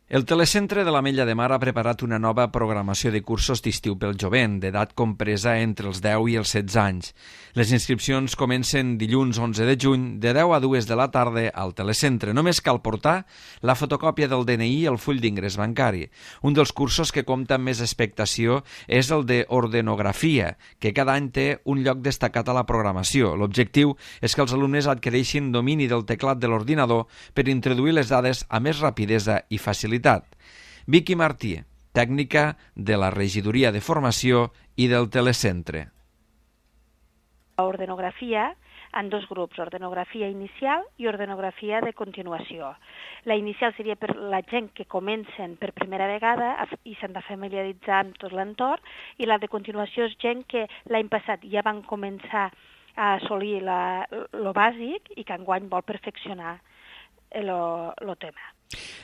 El Telecentre de l'Ametlla de Mar ha preparat una nova programació de cursos d'estiu pel jovent, d'edat compresa entre els 10 i els 16 anys. Les inscripcions comencen dilluns 11 de juny de 10 a 2 de la tarda al Telecentre. Només cal portar la fotocòpia del DNI i el full d'ingrés bancari. Un dels cursos que compta amb més expectació és el d'ordenografia, que cada any té un lloc destacat a la programació. L'objectiu és que els alumnes adquireixin domini del teclat de l'ordinador per introduir les dades amb més rapidesa i facilitat. Vicky Martí, tècnica de la Regidoria de Formació i del Telecentre. Ordenografia en dos grups, ordenografia inicial i ordenografia de continuació. La inicial seria per la gent que comencen per primera vegada i s'han de familiaritzar amb tot l'entorn, i la de continuació és gent que l'any passat ja van començar a assolir lo bàsic i que enguany vol perfeccionar el tema.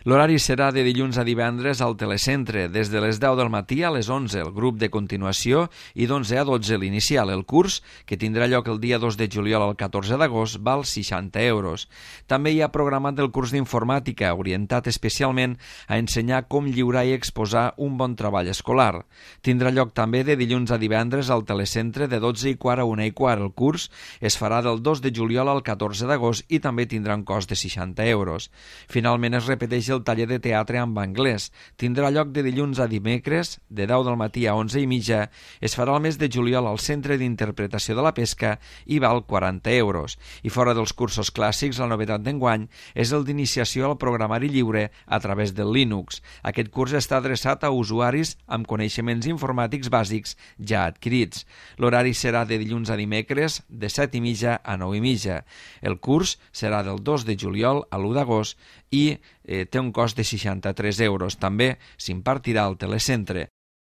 L'horari serà de dilluns a divendres al Telecentre, des de les 10 del matí a les 11, el grup de continuació, i d'11 a 12 l'inicial. El curs, que tindrà lloc el dia 2 de juliol al 14 d'agost, val 60 euros. També hi ha programat el curs d'informàtica, orientat especialment a ensenyar com lliurar i exposar un bon treball escolar. Tindrà lloc també de dilluns a divendres al Telecentre de 12:15 a 1:15. El curs es farà del 2 de juliol al 14 d'agost i també tindrà un cost de 60 euros. Finalment es repeteix el taller de teatre amb anglès. Tindrà lloc de dilluns a dimecres, de 10 del matí a 11:30. Es farà el mes de juliol al Centre d'Interpretació de la Pesca i val 40 euros. I fora dels cursos clàssics, la novetat d'enguany és el d'iniciació al programari lliure a través del Linux. Aquest curs està adreçat a usuaris amb coneixements informàtics bàsics ja adquirits. L'horari serà de dilluns a dimecres, de 7:30 a 9:30. El curs serà del 2 de juliol a l'1 d'agost i té un cost de 63 euros. També s'impartirà al Telecentre.